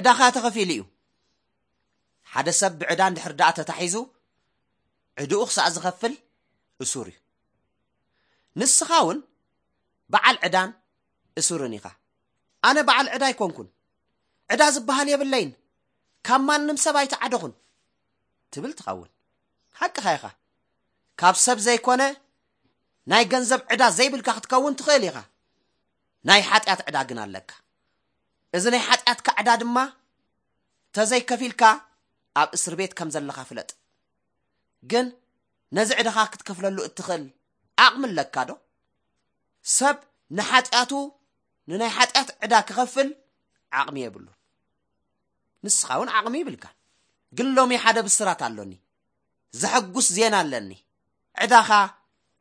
ዕዳኻ ተኸፊሉ እዩ። ሓደ ሰብ ብዕዳ እንድሕር ደኣ ተታሒዙ፣ ዕድኡ ክሳዕ ዝኸፍል እሱር እዩ። ንስኻ እውን በዓል ዕዳን እሱርን ኢኻ። "ኣነ በዓል ዕዳ ኣይኮንኩን፣ ዕዳ ዝበሃል የብለይን፣ ካብ ማንም ሰብ ኣይተዓደኹን" ትብል ትኸውን። ሓቅኻ ኢኻ። ካብ ሰብ ዘይኮነ ናይ ገንዘብ ዕዳ ዘይብልካ ክትከውን ትኽእል ኢኻ። ናይ ሓጢኣት ዕዳ ግን ኣለካ። እዚ ናይ ሓጢኣትካ ዕዳ ድማ ተዘይከፊልካ ኣብ እስር ቤት ከም ዘለኻ ፍለጥ። ግን ነዚ ዕዳኻ ክትከፍለሉ እትኽእል ዓቕሚ ኣለካ ዶ? ሰብ ንሓጢኣቱ፣ ንናይ ሓጢኣት ዕዳ ክኸፍል ዓቕሚ የብሉን። ንስኻ እውን ዓቕሚ ይብልካን። ግን ሎሚ ሓደ ብስራት ኣሎኒ። ዘሐጉስ ዜና ኣለኒ። ዕዳኻ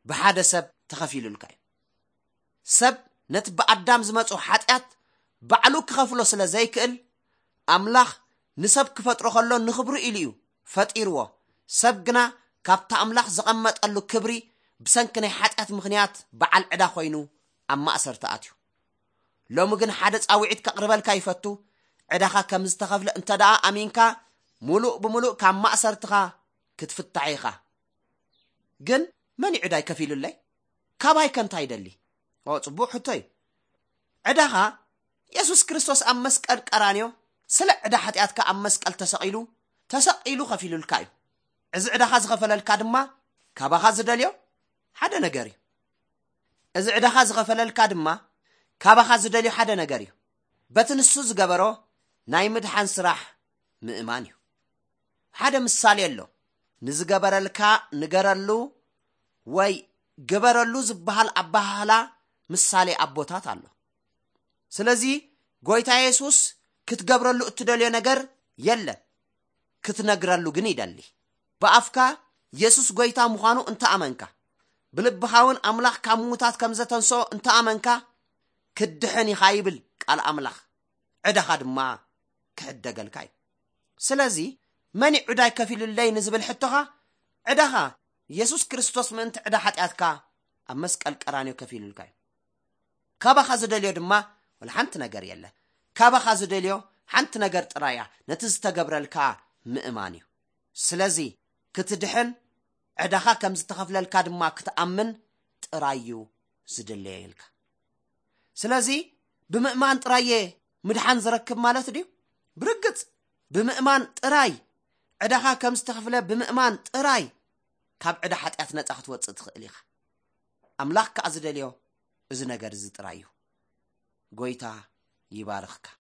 ብሓደ ሰብ ተኸፊሉልካ እዩ። ሰብ ነቲ ብኣዳም ዝመጾ ሓጢኣት ባዕሉ ክኸፍሎ ስለ ዘይክእል፣ ኣምላኽ ንሰብ ክፈጥሮ ከሎ ንኽብሩ ኢሉ እዩ ፈጢርዎ። ሰብ ግና ካብቲ ኣምላኽ ዘቐመጠሉ ክብሪ ብሰንኪ ናይ ሓጢኣት ምኽንያት በዓል ዕዳ ኮይኑ ኣብ ማእሰርቲ ኣትዩ። ሎሚ ግን ሓደ ጻውዒት ከቕርበልካ ይፈቱ። ዕዳኻ ከም ዝተኸፍለ እንተ ደኣ ኣሚንካ፣ ምሉእ ብምሉእ ካብ ማእሰርትኻ ክትፍታሕ ኢኻ። ግን መን እዩ ዕዳይ ከፊሉለይ? ካባይ ከ እንታይ ይደሊ? ኦ፣ ጽቡቕ ሕቶ እዩ። ዕዳኻ የሱስ ክርስቶስ ኣብ መስቀል ቀራንዮ ስለ ዕዳ ሓጢኣትካ ኣብ መስቀል ተሰቒሉ፣ ተሰቒሉ ከፊሉልካ እዩ። እዚ ዕዳኻ ዝኸፈለልካ ድማ ካባኻ ዝደልዮ ሓደ ነገር እዩ። እዚ ዕዳኻ ዝኸፈለልካ ድማ ካባኻ ዝደልዮ ሓደ ነገር እዩ። በቲ ንሱ ዝገበሮ ናይ ምድሓን ስራሕ ምእማን እዩ። ሓደ ምሳሌ ኣሎ። ንዝገበረልካ ንገረሉ ወይ ግበረሉ ዝበሃል ኣበሃህላ ምሳሌ ኣቦታት ኣሎ። ስለዚ ጎይታ የሱስ ክትገብረሉ እትደልዮ ነገር የለን፣ ክትነግረሉ ግን ይደሊ። ብኣፍካ የሱስ ጎይታ ምዃኑ እንተ ኣመንካ፣ ብልብኻ እውን ኣምላኽ ካብ ምዉታት ከም ዘተንስኦ እንተ ኣመንካ፣ ክትድሕን ኢኻ ይብል ቃል ኣምላኽ። ዕዳኻ ድማ ክሕደገልካ እዩ። ስለዚ መን እዩ ዕዳይ ከፊሉለይ ንዝብል ሕቶኻ፣ ዕዳኻ የሱስ ክርስቶስ ምእንቲ ዕዳ ሓጢኣትካ ኣብ መስቀል ቀራንዮ ከፊሉልካ እዩ። ካባኻ ዝደልዮ ድማ ወላ ሓንቲ ነገር የለ። ካባኻ ዝደልዮ ሓንቲ ነገር ጥራይ እያ፣ ነቲ ዝተገብረልካ ምእማን እዩ። ስለዚ ክትድሕን፣ ዕዳኻ ከም ዝተኸፍለልካ ድማ ክትኣምን ጥራይ እዩ ዝድለየልካ። ስለዚ ብምእማን ጥራይ እየ ምድሓን ዝረክብ ማለት ድዩ? ብርግጽ ብምእማን ጥራይ፣ ዕዳኻ ከም ዝተኸፍለ ብምእማን ጥራይ ካብ ዕዳ ሓጢኣት ነጻ ክትወጽእ ትኽእል ኢኻ። ኣምላኽ ከኣ ዝደልዮ እዚ ነገር እዚ ጥራይ እዩ። ጎይታ ይባርኽካ።